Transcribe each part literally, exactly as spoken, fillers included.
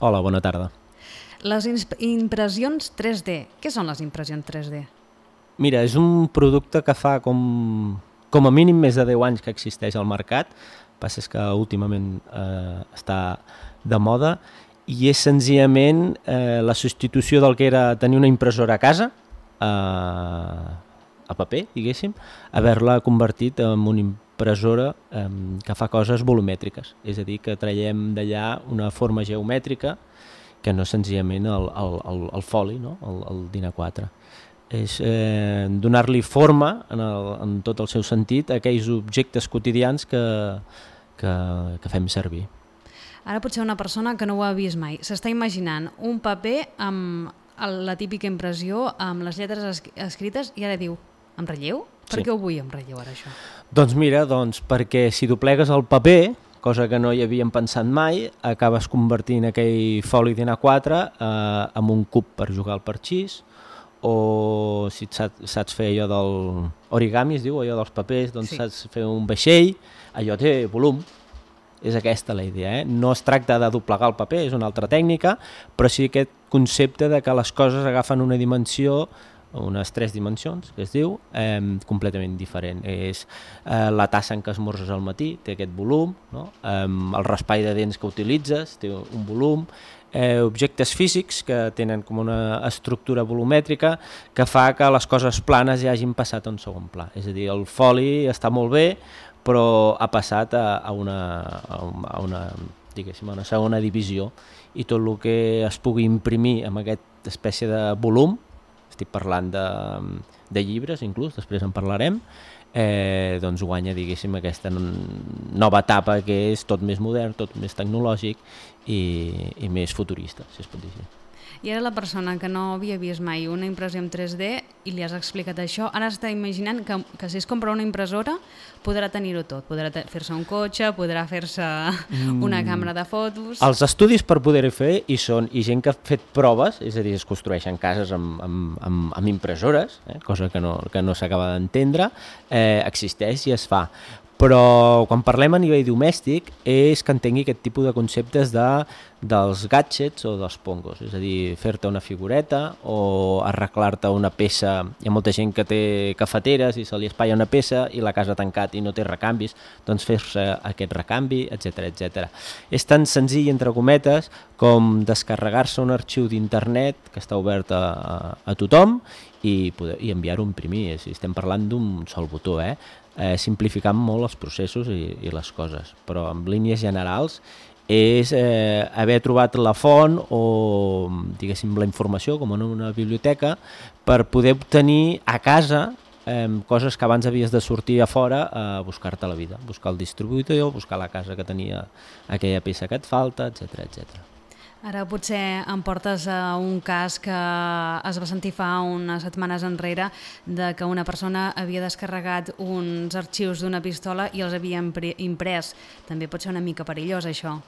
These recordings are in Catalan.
Hola, bona tarda. Les impressions tres D. Què són les impressions tres D? Mira, és un producte que fa com, com a mínim més de deu anys que existeix al mercat. El que passa és que últimament eh, està de moda i és senzillament eh, la substitució del que era tenir una impressora a casa, eh, a paper, diguéssim, haver-la convertit en una impressora eh, que fa coses volumètriques. És a dir, que traiem d'allà una forma geomètrica que no és senzillament el, el, el, el foli, no? el, el D I N A quatre. És eh, donar-li forma en, el, en tot el seu sentit a aquells objectes quotidians que, que, que fem servir. Ara potser una persona que no ho ha vist mai s'està imaginant un paper amb la típica impressió amb les lletres es escrites i ara diu, en relleu? Per Sí. què ho vull en relleu ara això? Doncs mira, doncs perquè si doblegues el paper, cosa que no hi havíem pensat mai, acabes convertint aquell foli D I N A quatre eh, en un cub per jugar al parxís, o si saps, saps fer allò del origami, es diu, allò dels papers, doncs Sí. saps fer un vaixell, allò té volum. És aquesta la idea, eh? No es tracta de doblegar el paper, és una altra tècnica, però sí aquest concepte de que les coses agafen una dimensió, unes tres dimensions, que es diu, eh, completament diferent. És eh, la tassa en què esmorzes al matí, té aquest volum, no? eh, el raspall de dents que utilitzes té un volum, eh, objectes físics que tenen com una estructura volumètrica que fa que les coses planes ja hagin passat a un segon pla. És a dir, el foli està molt bé, però ha passat a, a, una, a, una, diguéssim, a una segona divisió i tot el que es pugui imprimir amb aquesta espècie de volum, estic parlant de, de llibres inclús, després en parlarem, eh, doncs guanya, diguéssim, aquesta nova etapa que és tot més modern, tot més tecnològic i, i més futurista, si es pot dir així. I ara la persona que no havia vist mai una impressió en tres D i li has explicat això, ara està imaginant que, que si es compra una impressora podrà tenir-ho tot, podrà fer-se un cotxe, podrà fer-se una càmera de fotos... Els estudis per poder-ho fer hi són, i gent que ha fet proves, és a dir, es construeixen cases amb, amb, amb, amb impressores, eh, cosa que no, que no s'acaba d'entendre, eh, existeix i es fa. Però quan parlem a nivell domèstic és que entengui aquest tipus de conceptes de, dels gadgets o dels pongos, és a dir, fer-te una figureta o arreglar-te una peça. Hi ha molta gent que té cafeteres i se li espatlla una peça i la casa tancat i no té recanvis, doncs fer-se aquest recanvi, etcètera, etcètera. És tan senzill, entre cometes, com descarregar-se un arxiu d'internet que està obert a, a, a tothom i, poder, i enviar-ho a imprimir. Si estem parlant d'un sol botó, eh? Eh, simplificant molt els processos i, i les coses, però en línies generals és eh, haver trobat la font o, diguéssim, la informació, com en una biblioteca, per poder obtenir a casa eh, coses que abans havies de sortir a fora a buscar-te la vida, buscar el distribuïdor, buscar la casa que tenia aquella peça que et falta, etcètera, etcètera. Ara potser em portes a un cas que es va sentir fa unes setmanes enrere de que una persona havia descarregat uns arxius d'una pistola i els havia imprès. També pot ser una mica perillós, això.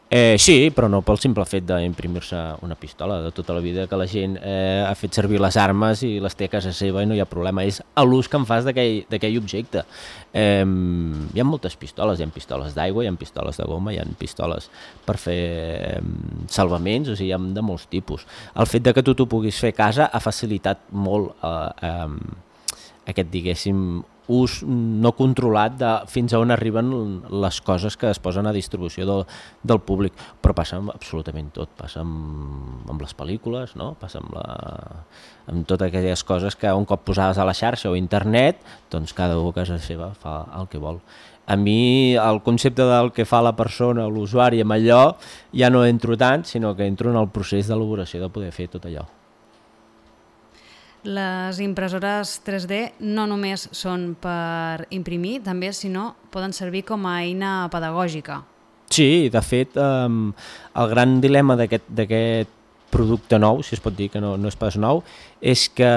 Eh, sí, però no pel simple fet d'imprimir-se una pistola. De tota la vida que la gent eh, ha fet servir les armes i les té a casa seva i no hi ha problema. És l'ús que en fas d'aquell objecte. Eh, hi ha moltes pistoles, hi ha pistoles d'aigua, hi ha pistoles de goma, hi ha pistoles per fer eh, salvaments, o sigui, hi ha de molts tipus. El fet de que tu t'ho puguis fer a casa ha facilitat molt eh, eh, aquest, diguéssim, ús no controlat de fins a on arriben les coses que es posen a distribució del, del públic, però passa amb absolutament tot, passa amb, amb les pel·lícules, no? Passa amb, la, amb totes aquelles coses que un cop posades a la xarxa o a internet, doncs cada u a casa seva fa el que vol. A mi el concepte del que fa la persona, l'usuari amb allò, ja no entro tant, sinó que entro en el procés d'elaboració de poder fer tot allò. Les impressores tres D no només són per imprimir, també, sinó poden servir com a eina pedagògica. Sí, de fet, eh, el gran dilema d'aquest producte nou, si es pot dir que no, no és pas nou, és que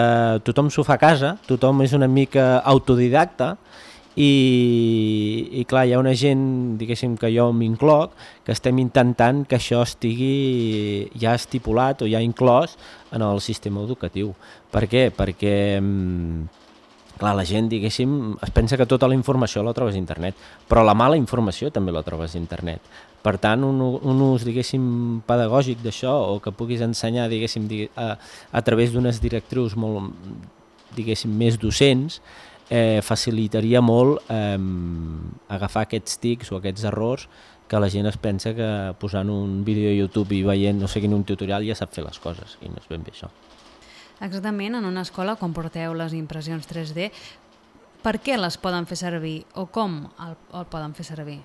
tothom s'ho fa a casa, tothom és una mica autodidacta, i, i clar, hi ha una gent, diguéssim que jo m'incloc, que estem intentant que això estigui ja estipulat o ja inclòs en el sistema educatiu. Per què? Perquè clar, la gent, diguéssim, es pensa que tota la informació la trobes a internet, però la mala informació també la trobes a internet. Per tant, un, un ús, diguéssim, pedagògic d'això, o que puguis ensenyar, diguéssim, a, a través d'unes directrius molt, diguéssim, més docents, eh, facilitaria molt eh, agafar aquests tics o aquests errors que la gent es pensa que posant un vídeo a YouTube i veient, no sé quin, un tutorial ja sap fer les coses, i no és ben bé això. Exactament, en una escola, quan porteu les impressions tres D, per què les poden fer servir o com el, el poden fer servir?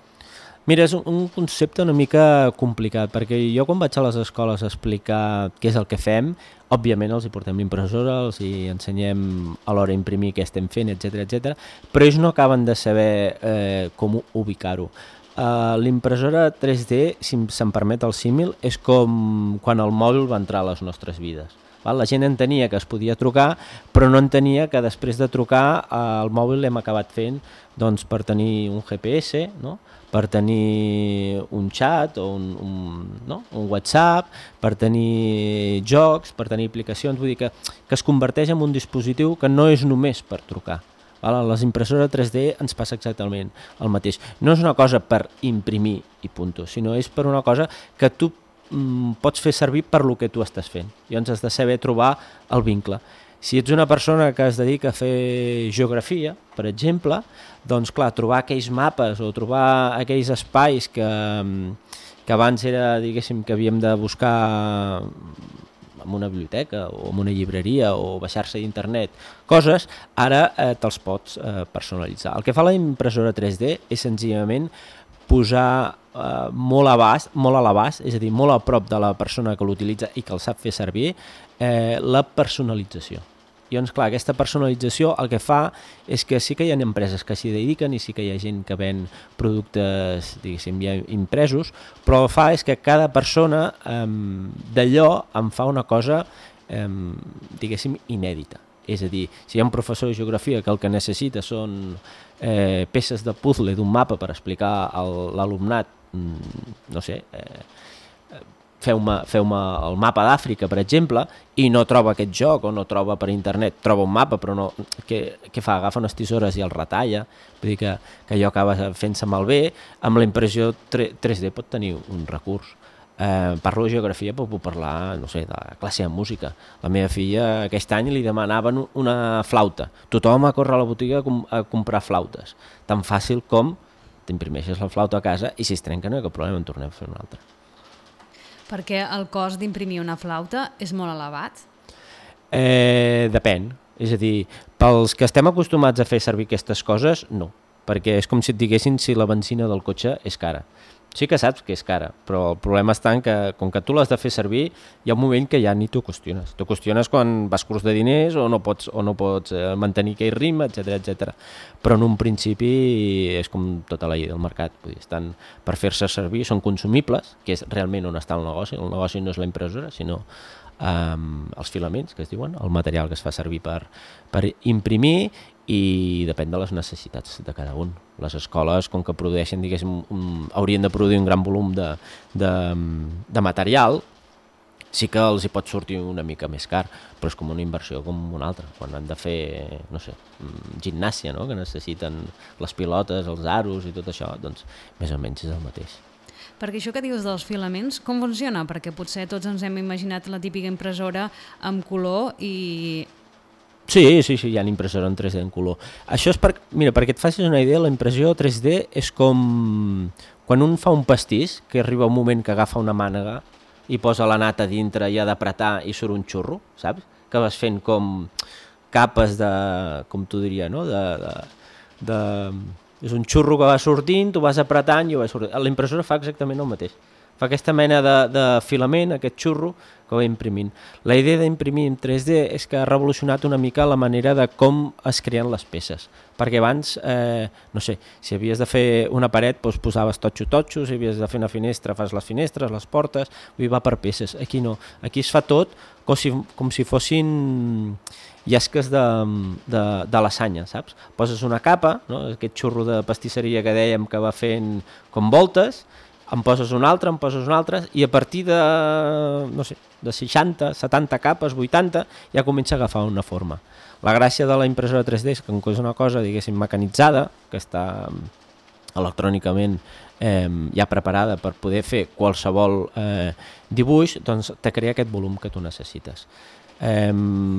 Mira, és un, un concepte una mica complicat, perquè jo quan vaig a les escoles a explicar què és el que fem, òbviament els hi portem l'impressora, els hi ensenyem a l'hora d'imprimir què estem fent, etcètera, etcètera, però ells no acaben de saber eh, com ubicar-ho. Uh, l'impressora tres D, si se'm permet el símil, és com quan el mòbil va entrar a les nostres vides. La gent entenia que es podia trucar, però no entenia que després de trucar el mòbil l'hem acabat fent doncs, per tenir un G P S, no? Per tenir un xat o un, un, no? un WhatsApp, per tenir jocs, per tenir aplicacions, vull dir que, que es converteix en un dispositiu que no és només per trucar. A les impressores tres D ens passa exactament el mateix. No és una cosa per imprimir i punt, sinó és per una cosa que tu pots fer servir per lo que tu estàs fent. Llavors has de saber trobar el vincle. Si ets una persona que es dedica a fer geografia, per exemple, doncs clar, trobar aquells mapes o trobar aquells espais que, que abans era, diguéssim, que havíem de buscar en una biblioteca o en una llibreria o baixar-se d'internet, coses, ara eh, te'ls pots eh, personalitzar. El que fa la impressora tres D és senzillament posar eh, molt, abast, molt a l'abast, és a dir, molt a prop de la persona que l'utilitza i que el sap fer servir, eh, la personalització. I doncs, clar, aquesta personalització el que fa és que sí que hi ha empreses que s'hi dediquen i sí que hi ha gent que ven productes, diguéssim, ja impresos, però el que fa és que cada persona eh, d'allò en fa una cosa, eh, diguéssim, inèdita. És a dir, si hi ha un professor de geografia que el que necessita són eh, peces de puzzle d'un mapa per explicar a l'alumnat, no sé, eh, feu-me feu-me el mapa d'Àfrica, per exemple, i no troba aquest joc o no troba per internet, troba un mapa però no, què, què fa? Agafa unes tisores i el retalla, vull dir que, que allò acaba fent-se malbé. Amb la impressió tres D pot tenir un recurs. Eh, parlo de geografia, però puc parlar, no sé, de classe de música. La meva filla aquest any li demanaven una flauta. Tothom a córrer a la botiga a, com a comprar flautes. Tan fàcil com t'imprimeixes la flauta a casa i si es trenca no hi ha cap problema, en tornem a fer una altra. Perquè el cost d'imprimir una flauta és molt elevat? Eh, depèn. És a dir, pels que estem acostumats a fer servir aquestes coses, no. Perquè és com si et diguessin si la benzina del cotxe és cara. Sí que saps que és cara, però el problema està en que, com que tu l'has de fer servir, hi ha un moment que ja ni t'ho qüestiones. T'ho qüestiones quan vas curs de diners o no pots, o no pots mantenir aquell ritme, etcètera, etcètera. Però en un principi és com tota la llei del mercat. Vull dir, estan per fer-se servir, són consumibles, que és realment on està el negoci. El negoci no és la impressora, sinó um, els filaments, que es diuen, el material que es fa servir per, per imprimir, i depèn de les necessitats de cada un. Les escoles, com que produeixen, diguéssim, un, haurien de produir un gran volum de, de, de material, sí que els hi pot sortir una mica més car, però és com una inversió com una altra. Quan han de fer, no sé, gimnàsia, no? Que necessiten les pilotes, els aros i tot això, doncs més o menys és el mateix. Perquè això que dius dels filaments, com funciona? Perquè potser tots ens hem imaginat la típica impressora amb color i... Sí, sí, sí, hi ha impressora en tres D en color. Això és per, mira, perquè et facis una idea, la impressió tres D és com quan un fa un pastís, que arriba un moment que agafa una mànega i posa la nata dintre i ha d'apretar i surt un xurro, saps? Que vas fent com capes de, com tu diria, no? De, de, de, és un xurro que va sortint, tu vas apretant i ho vas sortint. La impressora fa exactament el mateix. Fa aquesta mena de, de filament, aquest xurro, que va imprimint. La idea d'imprimir en tres D és que ha revolucionat una mica la manera de com es creen les peces. Perquè abans, eh, no sé, si havies de fer una paret, doncs posaves totxo-totxo, si havies de fer una finestra, fas les finestres, les portes, vull dir, va per peces. Aquí no. Aquí es fa tot com si, com si fossin llasques de, de, de lasanya, saps? Poses una capa, no? Aquest xurro de pastisseria que dèiem que va fent com voltes, em poses un altre, em poses un altre, i a partir de, no sé, de seixanta, setanta capes, vuitanta, ja comença a agafar una forma. La gràcia de la impressora tres D és que és una cosa, diguéssim, mecanitzada, que està electrònicament eh, ja preparada per poder fer qualsevol eh, dibuix, doncs te crea aquest volum que tu necessites. Eh,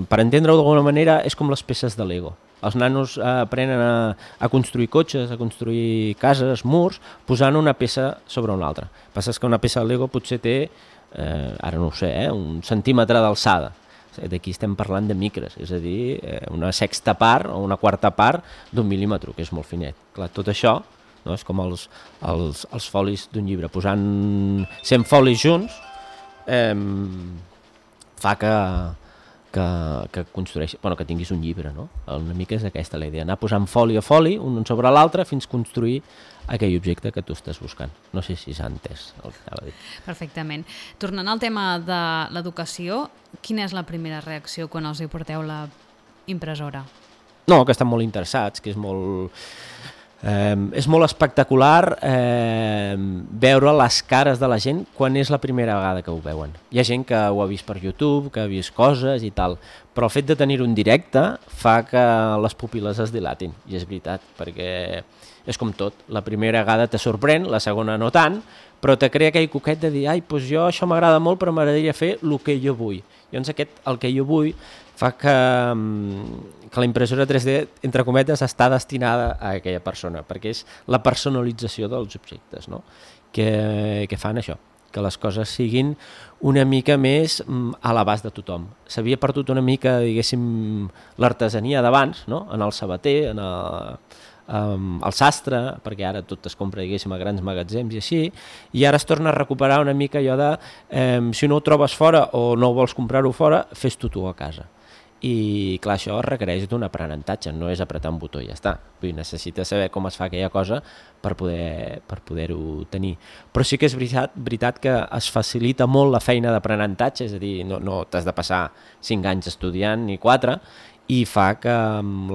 per entendre-ho d'alguna manera, és com les peces de Lego. Els nanos eh, aprenen a, a construir cotxes, a construir cases, murs, posant una peça sobre una altra. El que passa és que una peça de Lego potser té, eh, ara no ho sé, eh, un centímetre d'alçada. D'aquí estem parlant de micres, és a dir, eh, una sexta part o una quarta part d'un mil·límetre, que és molt finet. Clar, tot això, no, és com els, els, els folis d'un llibre. Posant cent folis junts eh, fa que... Que, que construeixi, bueno, que tinguis un llibre, no? Una mica és aquesta la idea, anar posant foli a foli, un sobre l'altre, fins construir aquell objecte que tu estàs buscant. No sé si s'ha entès el que anava a dir. Perfectament. Tornant al tema de l'educació, quina és la primera reacció quan els hi porteu la impressora? No, que estan molt interessats, que és molt... Eh, és molt espectacular eh, veure les cares de la gent quan és la primera vegada que ho veuen. Hi ha gent que ho ha vist per YouTube, que ha vist coses i tal, però el fet de tenir un directe fa que les pupil·les es dilatin, i és veritat, perquè és com tot, la primera vegada te sorprèn, la segona no tant, però te crea aquell coquet de dir, ai, doncs jo això m'agrada molt, però m'agradaria fer el que jo vull. Llavors aquest, el que jo vull, fa que, que la impressora tres D, entre cometes, està destinada a aquella persona, perquè és la personalització dels objectes, no? que, que fan això, que les coses siguin una mica més a l'abast de tothom. S'havia perdut una mica, diguéssim, l'artesania d'abans, no? En el sabater, en el, um, el sastre, perquè ara tot es compra, diguéssim, a grans magatzems i així, i ara es torna a recuperar una mica allò de eh, si no ho trobes fora o no vols comprar-ho fora, fes-t'ho tu a casa. I clar, això requereix d'un aprenentatge, no és apretar un botó i ja està. Vull dir, necessites saber com es fa aquella cosa per poder, per poder-ho tenir. Però sí que és veritat, veritat que es facilita molt la feina d'aprenentatge, és a dir, no, no t'has de passar cinc anys estudiant ni quatre, i fa que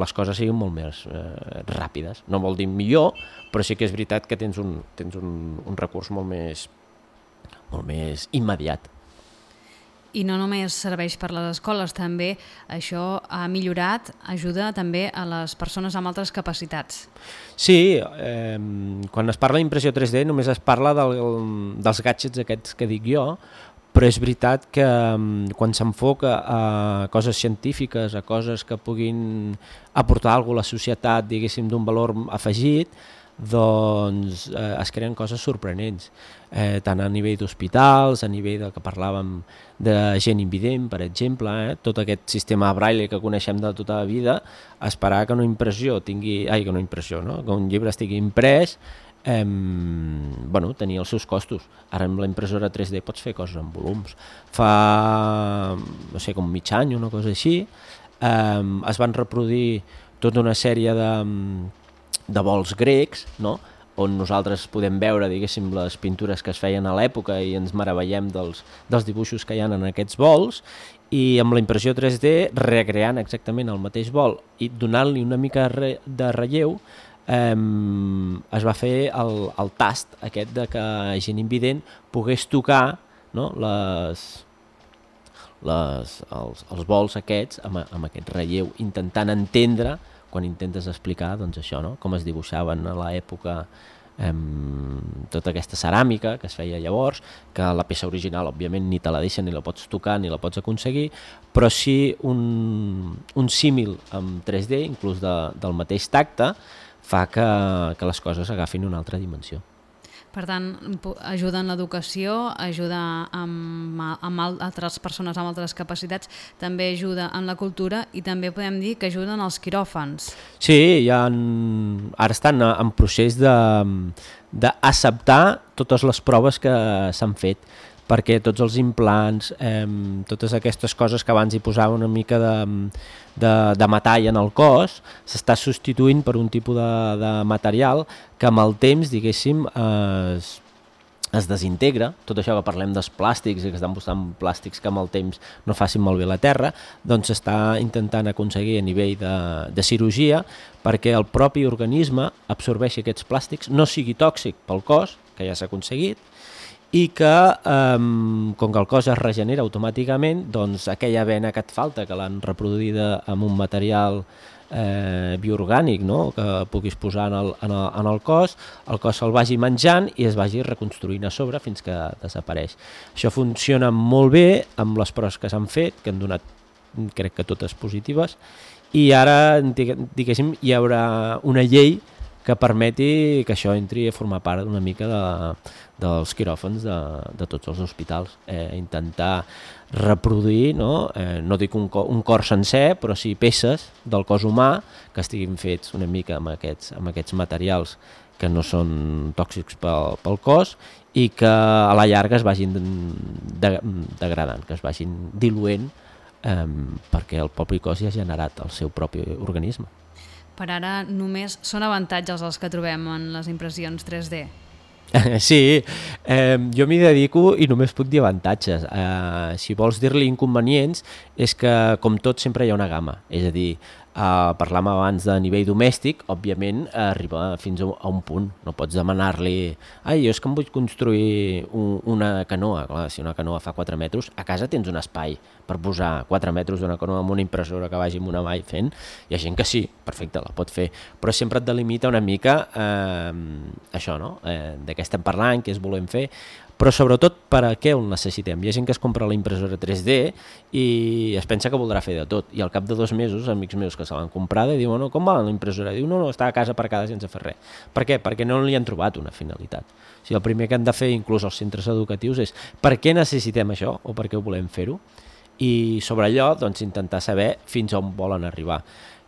les coses siguin molt més eh, ràpides. No vol dir millor, però sí que és veritat que tens un, tens un, un recurs molt més, molt més immediat. I no només serveix per les escoles, també això ha millorat, ajuda també a les persones amb altres capacitats. Sí, eh, quan es parla d'impressió tres D només es parla del, dels gadgets aquests que dic jo, però és veritat que quan s'enfoca a coses científiques, a coses que puguin aportar alguna cosa a la societat, diguéssim, d'un valor afegit, doncs eh, es creen coses sorprenents, eh, tant a nivell d'hospitals, a nivell del que parlàvem de gent invident, per exemple, eh, tot aquest sistema braille que coneixem de tota la vida, esperar que una impressió tingui, ai, que una impressió, no? Que un llibre estigui imprès, eh, bueno, tenia els seus costos. Ara amb la impressora tres D pots fer coses en volums. Fa, no sé, com mig any, una cosa així, eh, es van reproduir tota una sèrie de de vols grecs, no? On nosaltres podem veure, diguéssim, les pintures que es feien a l'època i ens meravellem dels, dels dibuixos que hi ha en aquests vols, i amb la impressió tres D, recreant exactament el mateix vol i donant-li una mica de relleu, eh, es va fer el, el tast aquest de que gent invident pogués tocar, no? les, les, els, els vols aquests amb, amb aquest relleu, intentant entendre quan intentes explicar, doncs això, no? Com es dibuixaven a l'època eh, tota aquesta ceràmica que es feia llavors, que la peça original, òbviament, ni te la deixen, ni la pots tocar, ni la pots aconseguir, però sí un, un símil amb tres D, inclús de, del mateix tacte, fa que, que les coses agafin una altra dimensió. Per tant, ajuda en l'educació, ajuda amb, amb altres persones amb altres capacitats, també ajuda en la cultura i també podem dir que ajuda en els quiròfans. Sí, ja en, ara estan en procés d'acceptar totes les proves que s'han fet, perquè tots els implants, eh, totes aquestes coses que abans hi posava una mica de, de, de metall en el cos, s'està substituint per un tipus de, de material que amb el temps, diguéssim, es, es desintegra. Tot això que parlem dels plàstics i que estan buscant plàstics que amb el temps no facin malbé la terra, doncs s'està intentant aconseguir a nivell de, de cirurgia perquè el propi organisme absorbeixi aquests plàstics, no sigui tòxic pel cos, que ja s'ha aconseguit, i que, eh, com que el cos es regenera automàticament, doncs aquella vena que et falta, que l'han reproduïda amb un material eh, bioorgànic, no? que puguis posar en el, en, el, en el cos, el cos se'l vagi menjant i es vagi reconstruint a sobre fins que desapareix. Això funciona molt bé amb les proves que s'han fet, que han donat, crec que totes positives, i ara, diguéssim, hi haurà una llei que permeti que això entri a formar part una mica de, dels quiròfans de, de tots els hospitals. Eh, intentar reproduir, no, eh, no dic un, un cor sencer, però sí peces del cos humà que estiguin fets una mica amb aquests, amb aquests materials que no són tòxics pel, pel cos i que a la llarga es vagin de, degradant, que es vagin diluent, Um, perquè el propi cos ja ha generat el seu propi organisme. Per ara només són avantatges els que trobem en les impressions tres D? Sí, eh, jo m'hi dedico i només puc dir avantatges. Eh, si vols dir-li inconvenients, és que com tot sempre hi ha una gamma, és a dir, Uh, parlàvem abans de nivell domèstic, òbviament arriba fins a un punt, no pots demanar-li ai, jo és que em vull construir un, una canoa. Clar, si una canoa fa quatre metres, a casa tens un espai per posar quatre metres d'una canoa amb una impressora que vagi amb una vall fent, hi ha gent que sí, perfecte, la pot fer, però sempre et delimita una mica eh, això, no? Eh, de què estem parlant, què es volem fer, però sobretot per a què el necessitem. Hi ha gent que es compra la impressora tres D i es pensa que voldrà fer de tot, i al cap de dos mesos, amics meus que se l'han comprada, diuen, no, com va la impressora? Diu, no, no, està a casa aparcada sense fer res. Per què? Perquè no li han trobat una finalitat. O sigui, el primer que han de fer, inclús els centres educatius, és per què necessitem això o per què ho volem fer-ho? I sobre allò, doncs, intentar saber fins on volen arribar.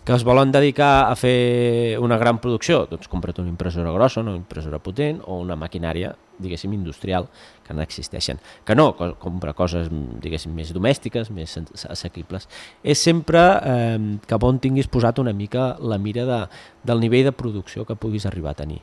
Que es volen dedicar a fer una gran producció? Doncs compra't una impressora grossa, una impressora potent o una maquinària, diguéssim, industrial, que no existeixen. Que no, compra coses, diguéssim, més domèstiques, més assequibles. És sempre eh, que on tinguis posat una mica la mira de, del nivell de producció que puguis arribar a tenir.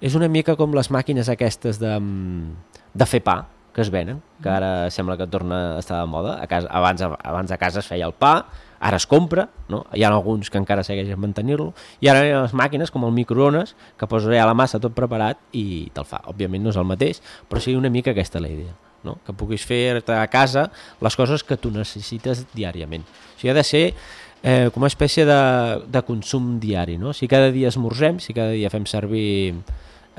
És una mica com les màquines aquestes de, de fer pa, que es venen, que ara sembla que torna a estar de moda. A casa, abans, abans a casa es feia el pa, ara es compra, no? Hi ha alguns que encara segueixen mantenir-lo, i ara hi ha les màquines com el microones, que poses allà la massa tot preparat i te'l fa. Òbviament no és el mateix, però sí una mica aquesta la idea, no? Que puguis fer-te a casa les coses que tu necessites diàriament. O sigui, ha de ser eh, com una espècie de, de consum diari, no? Si cada dia esmorzem, si cada dia fem servir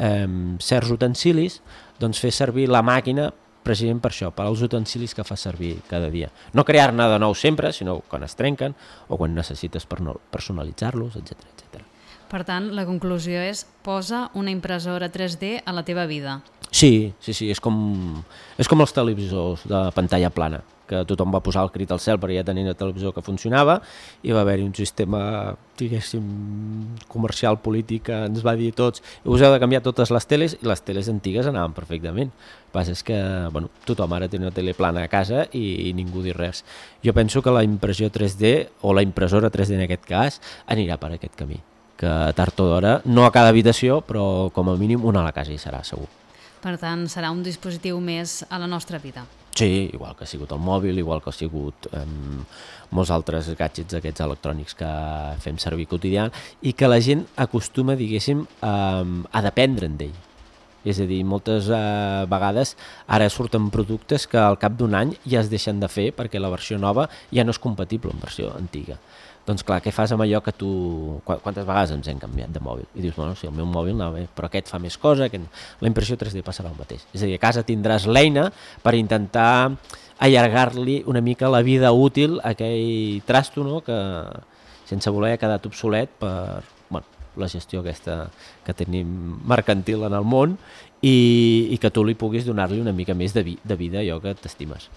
eh, certs utensilis, doncs fer servir la màquina precisament per això, per als utensilis que fa servir cada dia. No crear-ne de nou sempre, sinó quan es trenquen o quan necessites personalitzar-los, etcètera, etcètera. Per tant, la conclusió és posa una impressora tres D a la teva vida. Sí, sí, sí, és com, és com els televisors de pantalla plana, que tothom va posar el crit al cel perquè ja tenien el televisor que funcionava i va haver-hi un sistema, diguéssim, comercial, polític, que ens va dir a tots us heu de canviar totes les teles, i les teles antigues anaven perfectament. El que passa és que bueno, tothom ara té una tele plana a casa i, i ningú dir res. Jo penso que la impressió tres D, o la impressora tres D en aquest cas, anirà per aquest camí, que tard o d'hora, no a cada habitació, però com a mínim una a la casa hi serà, segur. Per tant, serà un dispositiu més a la nostra vida. Sí, igual que ha sigut el mòbil, igual que ha sigut eh, molts altres gadgets aquests electrònics que fem servir quotidià i que la gent acostuma, diguéssim, a, a dependre'n d'ell. És a dir, moltes eh, vegades ara surten productes que al cap d'un any ja es deixen de fer perquè la versió nova ja no és compatible amb versió antiga. Doncs clar, què fas amb allò que tu... Quantes vegades ens hem canviat de mòbil? I dius, bueno, sí, el meu mòbil anava bé, però aquest fa més cosa, aquest... La impressió tres D passarà el mateix. És a dir, a casa tindràs l'eina per intentar allargar-li una mica la vida útil a aquell trasto, no?, que sense voler ha quedat obsolet per bueno, la gestió aquesta que tenim mercantil en el món i, i que tu li puguis donar-li una mica més de, vi, de vida a allò que t'estimes.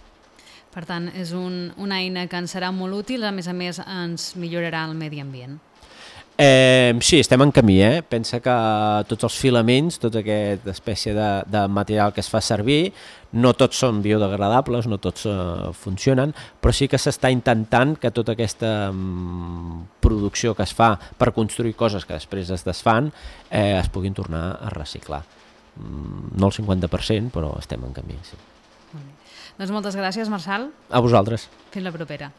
Per tant, és un, una eina que ens serà molt útil, a més a més ens millorarà el medi ambient. Eh, sí, estem en camí, eh? Pensa que tots els filaments, tota aquesta espècie de, de material que es fa servir, no tots són biodegradables, no tots uh, funcionen, però sí que s'està intentant que tota aquesta um, producció que es fa per construir coses que després es desfan eh, es puguin tornar a reciclar. Mm, no el cinquanta per cent, però estem en camí, sí. Doncs moltes gràcies, Marçal. A vosaltres. Fins la propera.